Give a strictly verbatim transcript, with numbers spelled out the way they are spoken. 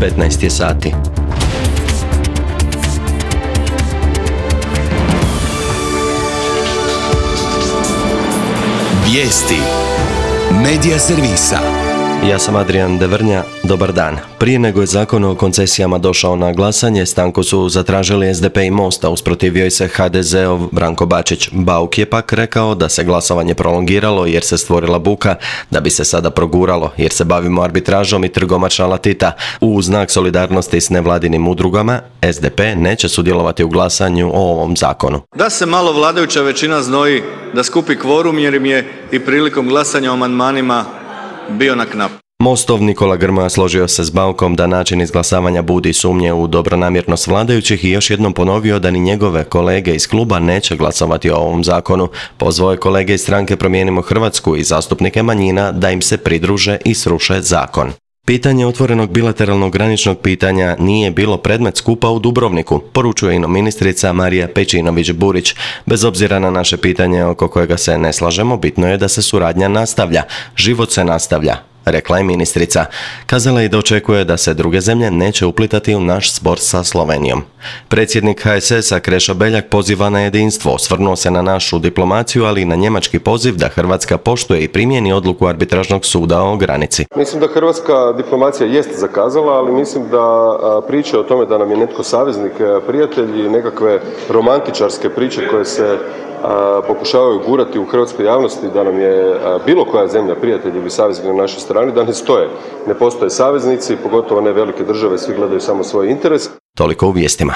devetnaest je sati. Vijesti Medija servisa. Ja sam Adrian Devrnja, dobar dan. Prije nego je zakon o koncesijama došao na glasanje, stanku su zatražili S D P i Most, a usprotivio je se H D Z-ov Branko Bačić. Bauk je pak rekao da se glasovanje prolongiralo jer se stvorila buka, da bi se sada proguralo jer se bavimo arbitražom i trgom šalatita. U znak solidarnosti s nevladinim udrugama, S D P neće sudjelovati u glasanju o ovom zakonu. Da se malo vladajuća većina znoji da skupi kvorum jer im je i prilikom glasanja o amandmanima bio na knap. Mostov Nikola Grmoja složio se s Baukom da način izglasavanja budi sumnje u dobronamjernost vladajućih i još jednom ponovio da ni njegove kolege iz kluba neće glasovati o ovom zakonu. Pozvao je kolege iz stranke Promijenimo Hrvatsku i zastupnike manjina da im se pridruže i sruše zakon. Pitanje otvorenog bilateralnog graničnog pitanja nije bilo predmet skupa u Dubrovniku, poručuje ino ministrica Marija Pejčinović-Burić. Bez obzira na naše pitanje oko kojega se ne slažemo, bitno je da se suradnja nastavlja. Život se nastavlja, rekla je ministrica. Kazala je da očekuje da se druge zemlje neće uplitati u naš spor sa Slovenijom. Predsjednik H S S-a Krešo Beljak poziva na jedinstvo, osvrnuo se na našu diplomaciju, ali i na njemački poziv da Hrvatska poštuje i primjeni odluku arbitražnog suda o granici. Mislim da hrvatska diplomacija jest zakazala, ali mislim da priče o tome da nam je netko saveznik, prijatelj i nekakve romantičarske priče koje se a, pokušavaju gurati u hrvatskoj javnosti da nam je a, bilo koja zemlja prijatelj ili saveznik na našoj strani, da ne stoje. Ne postoje saveznici, pogotovo ne velike države, svi gledaju samo svoj interes. Toliko u vijestima.